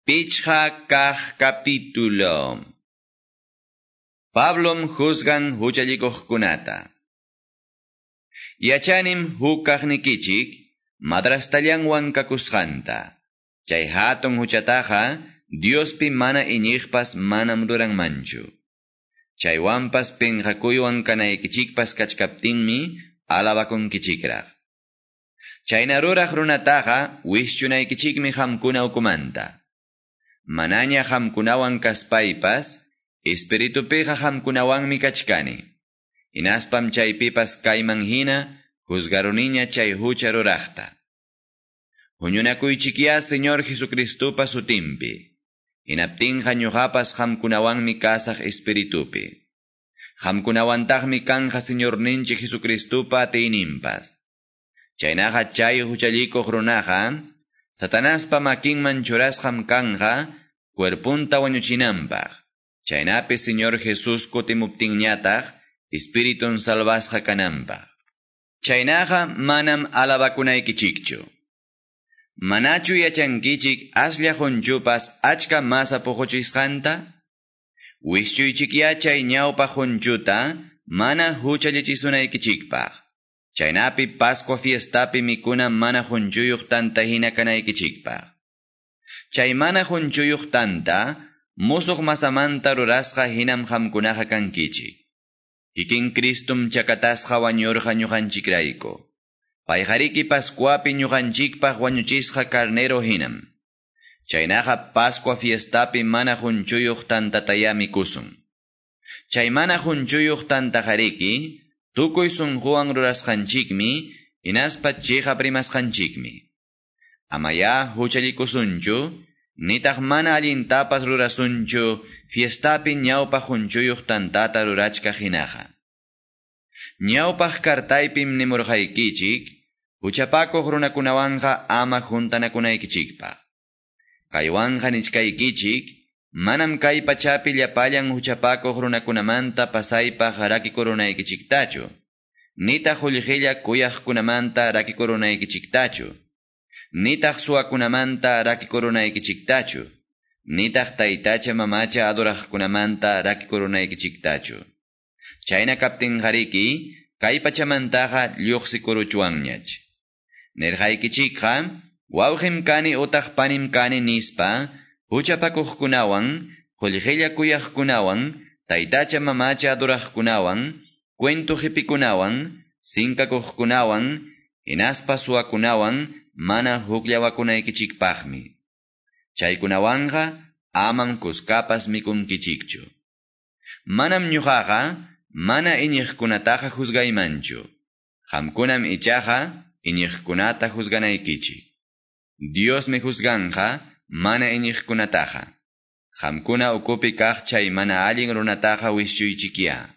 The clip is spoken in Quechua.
Pichqa kaq capítulo. Pablom juzgan huchallikuqkunata. Yachanim huk kaqnikichik madrastallanwan kakusqanta. Chay hatun huchataqa Diospi mana iñiqpas manam ruranmanchu. Chaywanpas pinqakuywan kanaykichikpas kachkaptinmi alabakunkichikraq. Chayna ruraq runataqa wischunaykichikmi qamkuna ukumanta. Manaña qamkunawan kaspaypas, espiritupiqa qamkunawanmi kachkani. Hinaspam chaypipas kayman hina juzgaruniña chay hucha ruraqta. Huñunakuychikya Señor Jesucristupa sutinpi. Hinaptinqa ñuqapas qamkunawanmi kasaq espiritupi. Qamkunawantaqmi kanja Señorninchik Jesucristupa atiyninpas. Chaynaqa chay huchallikuq runaqa, Satanaspa makinman churasqam kanja, cuerpunta wañuchinanpaq. Chaynapi Señor Jesús kutimuptinñataq, espiritun salvasqa kananpaq. Chaynaqa manam alabakunaykichikchu. Manachu yachankichik aslla qunchupas achka masa puquchisqanta? Wischuychikya chay ñawpa qunchuta mana huchallichisunaykichikpaq. Chaynapi Pascua fiestapi mikuna mana qunchuyuq tanta hina kanaykichikpaq. Chay mana qunchuyuq tanta musuq masamanta rurasqa hinam qamkunaqa kankichik. Kikin Cristum chakatasqa wañurqa ñuqanchikrayku. Payqariki Pascuapi ñuqanchikpaq wañuchisqa carnero hinam. Chaynaqa Pascua fiestapi mana qunchuyuq tantataya mikusun. Chay mana qunchuyuq tantaqariki tukuy sunquwan rurasqanchikmi hinaspa chiqap rimasqanchikmi. Amaya huchallikusunchu, nitaq mana allintapas rurasunchu fiestapi ñawpaq qunchuyuq tantata rurachkaq hinaqa. Ñawpaq kartaypim nimurqaykichik, huchapakuq runakunawanqa ama juntanakunaykichikpaq. Kaywanqa nichkaykichik, manam kay pachapi llapallan huchapakuq runakunamanta pasaypaq rakikurunaykichiktachu, nitaq qullqilla kuyaqkunamanta rakikurunaykichiktachu, nitaq suwakunamanta rakikurunaykichiktachu, nitaq taytacha mamacha adoraqkunamanta rakikurunaykichiktachu. Chayna kaptinqariki, kay pachamantaqa lluqsikuruchwanñach. Nirqaykichikqa, wawqim kani utaq panim kani nispa, huchapakuqkunawan, qullqilla kuyaqkunawan, taytacha mamacha adoraqkunawan, cuento qipikunawan, sinkakuqkunawan, hinaspa suwakunawan mana hukllawakunaykichikpaqmi. Chaykunawanqa amam kuskapas mikunkichikchu. Manam ñuqaqa mana iñiqkunataqa juzgaymanchu. Qamkunam ichaqa iñiqkunata juzganaykichik. Diosmi juzganja mana iñiqkunataqa. Qamkuna ukupi kaq chay mana allin runataqa wischuychikya.